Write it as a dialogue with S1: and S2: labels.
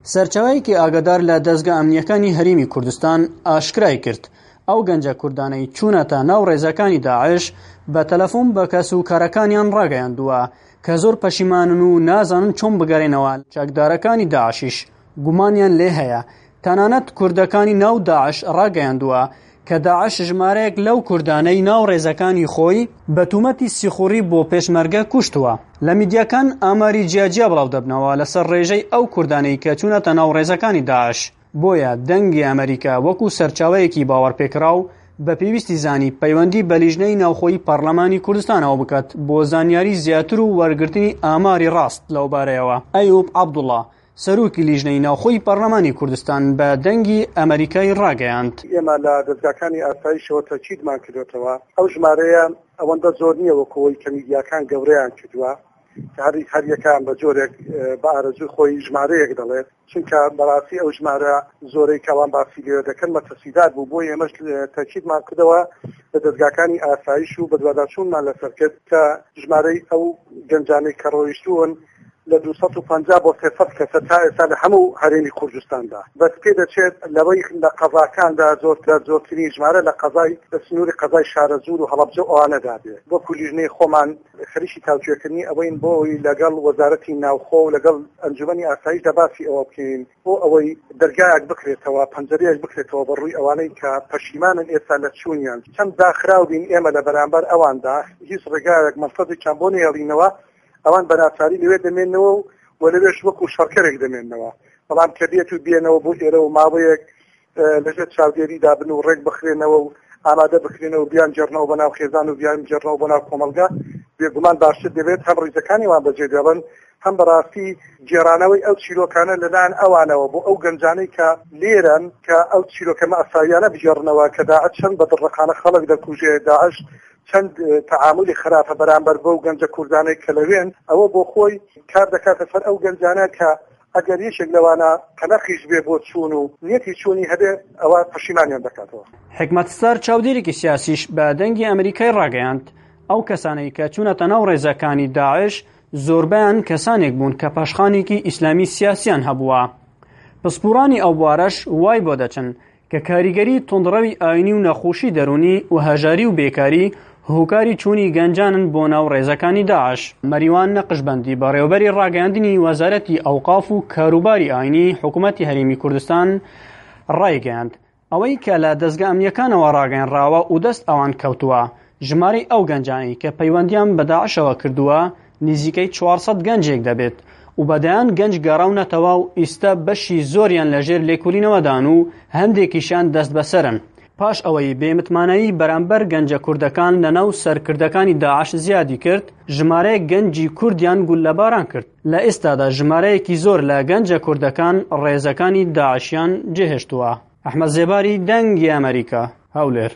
S1: سەرچاوەیەکی ئاگادار لە دەزگا ئەمنییەکانی هەرێمی کوردستان ئاشکرای کرد، ئەو گەنجە کوردانەی چوونەتە ناو ڕێزەکانی داعش بە تەلەفۆن بە کەس و کارەکانیان ڕاگەیاندووە کە زۆر پەشیمانن و نازانن چۆن بگەرێنەوە، چەکدارەکانی داعشیش گومانیان لێ هەیە، تەنانەت کوردەکانی ناو داعش ڕاگەیاندووە کە داعش ژمارەیەک لەو کوردانەی ناو ڕێزەکانی خۆی بە تومەتی سیخوڕی بۆ پێشمەرگە کوشتووە. لە میدیاکان ئاماری جیاجیا بڵاو دەبنەوە لەسەر ڕێژەی ئەو کوردانەی کە چوونەتە ناو ڕێزەکانی داعش، بۆیە دەنگی ئەمەریکا وەکو سەرچاوەیەکی باوەڕپێکراو بە پێویستی زانی پەیوەندی بە لیژنەی ناوخۆی پەڕلەمانی کوردستانەوە بکات بۆ زانیاری زیاتر و وەرگرتنی ئاماری ڕاست لەوبارەیەوە. ئەیوب عەبدوڵا، سەرۆکی لیژنەی ناوخۆی پەڕلەمانی کوردستان بە دەنگی ئەمەریکای ڕاگەیاند.
S2: ئێمە لە دەزگاکانی ئاسایشەوە تەئکیدمان کردۆتەوە ئەو ژمارەیە ئەوەندە زۆر نییە وەکو ئەوەی کە میدیاکان گەورەیان کردووە کە هەر هەریەکەیان بە جۆرێک بە ئارەزووی خۆی ژمارەیەک دەڵێت چونکە بەڕاستی ئەو ژمارە زۆرەی کە ئەوان باسی لێوە دەکەن مەترسیدار بوو بۆیە ئێمەش تەئکیدمان کردەوە لە دەزگاکانی ئاسایش و بەدواداچوونمان لەسەر کرد کە ژمارەی ئەو گەنجانەی کە ڕۆیشتوون لە 250 بۆ 300 کەسە تا ئێستا لە هەموو هەرێمی کوردستاندا. بەس پێدەچێت لەوەی لە قەزاکاندا زۆرترە زۆرترین ژمارە لە قەزای لە سنووری قەزای شارەزوور و هەڵەبجە و ئەوانەدا بێ. وەکو لیژنەی خۆمان خەریکی تاوتوێکردنی ئەوەین بۆ ئەوەی لەگەڵ وەزارەتی ناوخۆ و لەگەڵ ئەنجومەنی ئاسایشدا باسی ئەوە بکەین بۆ ئەوەی دەرگایەک بکرێتەوە، پەنجەرەیەک بکرێتەوە بە ڕووی ئەوانەی کە پەشیمانن ئێستا لە چوونیان. چەند داخراو بین ئێمە لە بەرامبەر ئەواندا هیچ ڕێگایەک مەنفەزێکیان بۆ نەهێڵینەوە ئەوان بە ناچاری لەوێ دەمێنەوە و و لەوێش وەکو شەڕکەرێک دەمێنەوە بەڵام کە بێت و بێنەوە بۆ ئێرە و ماوەیەک لەژێر چاودێریدا بن و ڕێک بخرێنەوە و ئامادە بکرێنەوە بیان جێڕنەوە بە ناو خێزان و بیان جێڕنەوە بۆ ناو کۆمەڵگا بێگومان باشتر دەبێت هەم ڕیزەکانی وان بەجێ دێڵن هەم بەڕاستی گێڕانەوەی ئەو چیرۆکانە لەلایەن ئەوانەوە بۆ ئەو گەنجانەی کە لێرەن کە ئەو چیرۆکە مەئساویانە بگێڕنەوە کە داعش چەند بە دڕقانە خەڵک دەکوژێ داعش چەند تەعامولی خراپە بەرامبەر بەو گەنجە کوردانەی کە لەوێن، ئەوە بۆ خۆی کار دەکاتە سەر ئەو گەنجانە کە ئەگەر یەکێک لەوانە قەلەقیش بێ بۆ چوون و نیەتی چوونی هەبێ ئەوە پەشیمانیان دەکاتەوە.
S1: حیکمەت ستار چاودێرێکی سیاسیش بە دەنگی ئەمریکای ڕاگەیاند، ئەو کەسانەی کە چوونەتە ناو ڕێزەکانی داعش زۆربەیان کەسانێک بوون کە پاشخانێکی ئیسلامی سیاسیان هەبووە. پسپۆڕانی ئەو بوارەش وای بۆ دەچن کە کاریگەری توندڕەوی ئاینی و نەخۆشی دەروونی و هەژاری و بێکاری هۆکاری چوونی گەنجانن بۆ ناو ڕێزەکانی داعش. مەریوان نەقشبەندی بەڕێوەبەری ڕاگەیاندنی وەزارەتی ئەوقاف و کاروباری ئاینی حکوومەتی هەرێمی کوردستان ڕایگەیاند، ئەوەی کە لە دەزگا ئەمنییەکانەوە ڕاگەیەنراوە و دەست ئەوان کەوتووە، ژمارەی ئەو گەنجانەی کە پەیوەندیان بە داعشەوە کردووە نزیکەی 400 گەنجێک دەبێت و بە دەیان گەنج گەڕاونەتەوە و ئیستا بەشی زۆریان لەژێر لێکولینەوەدان و هەندێکیشیان دەستبەسەرن. پاش ئەوەی بێمتمانەیی بەرامبەر گەنجە کوردەکان لەناو سەرکردەکانی داعش زیادی کرد، ژمارەیەک گەنجی کوردیان گوللەباران کرد. لە ئێستادا ژمارەیەکی زۆر لە گەنجە کوردەکان ڕێزەکانی داعشیان جێهێشتووە. ئەحمەد زێباری، دەنگی ئەمەریکا، هەولێر.